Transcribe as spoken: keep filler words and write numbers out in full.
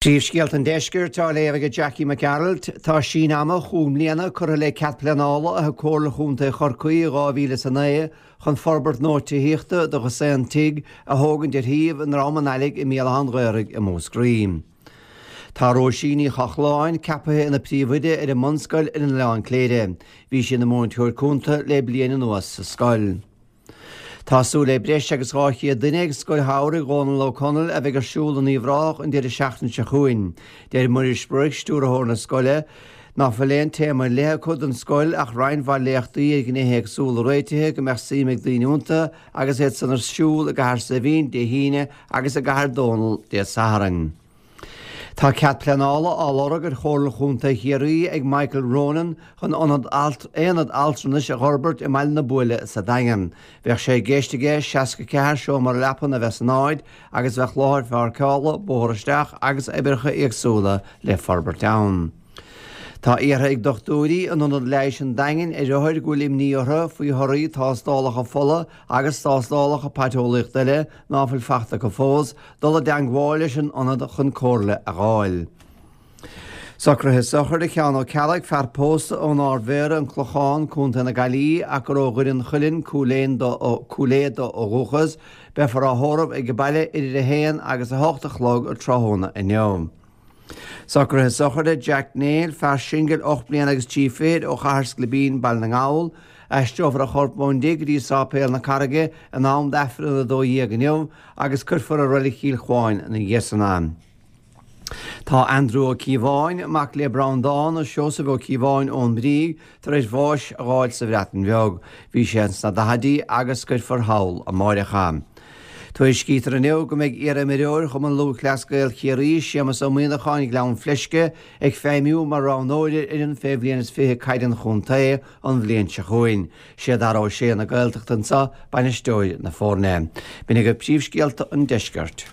Príomhscéalta an Deiscirt á léamh ag Jackie Mac Gearailt, tá síneadh ama chúig mbliana curtha le cead pleanála a thug Comhairle Chontae Chorcaí i dhá mhíle is a naoi chun forbairt nua tithíochta do dhosaen tigh a thógaint ar shuíomh i nDrom an Ailigh i mBéal Átha an Ghaorthaidh i Múscraí. Tá Róisín Ní Chochláin ceaptha ina príomhoide ar an mbunscoil ar an Oileán Cléire. Bhí sí ina múinteoir cúnta le bliain anuas sa scoil. Tá súil le breis agus dhá chéad duine ag Scoil Shamhraidh Dhónal Ó Conaill a bheidh ar siúl in Uíbh Ráthach an deireadh seachtaine seo chugainn. Deir Muiris Broic, stiúrthóir na scoile, ná fuil aon téama ar leith acu don scoil ach roinnt mhaith léachtaí ar ghnéithe éagsúla réitithe go mbeadh suim ag daoine iontu agus iad san ar siúl i gCathair Saidhbhín Dé hAoine agus i gCathair Dónall Dé Sathairn. Tá cead pleanála á lorg ar Chomhairle Chontae Chiarraí ag Michael Ronan chun ionad aonad altranais a fhorbairt i mBaile na Buaile sa Daingean. Bheadh sé i gceist aige seasca ceathair seomra leapan a bheith san áit agus bheadh láthair pháirceála, bóthar isteach agus oibreacha éagsúla le forbairt ann. Tá iarrtha ag dochtúirí in Ionad Leighis an Daingin ar othair go bhfuil imní orthu faoi thorthaí tástálacha fola agus tástálacha paiteolaíochta eile ná fuil fachta acu fós, dul i dteangmháil leis an ionad chun comhairle a dh'fháil. Socruithe sochraide Sheán Ó Ceallaigh, fear pósta ón Ard Mhéara, An Clochán, Contae na Gaillimhe, ach gur ó Dhoire an Chuilinn, Cúil Aodha dó ó dhúchas, beifear á thórramh ag baile idir a haon agus a hocht a chlog tráthnóna inniu. Socruithe sochraide Jack Neill, fear singil ocht mbliana agus trí fichid ó Chathair Sclibín, Baile na nGall. Aistreofar a chorp ón dtigh go dtí Sáipéal na Carraige in am d'Aifreann a dó dhéag inniu agus cuirfear i Reilig Chill Chuáin ina dhiaidh san é. Tá Andrew Ó Cíobháin, mac le Breandán agus Seosamh Ó Cíobháin ón mBrígh, tar éis bháis a dh'fháil sa Bhreatain Bheag. Bhí sé sna daichidí agus cuirfear thall amáireach é. Tuairiscítear inniu go mbeidh iar-imreoir Chumann Lúthchleas Gael Chiarraí, Séamus Ó Muíneacháin, Gleann Fleisce, ag feidhmiú mar roghnóir ar fhoireann fé bhliain is fiche caide an chontae an bhliain seo chugainn. Sé Dara Ó Sé na Gaeltachta anseo bainisteoir na foirne. B'in agaibh príomhscéalta an deiscirt.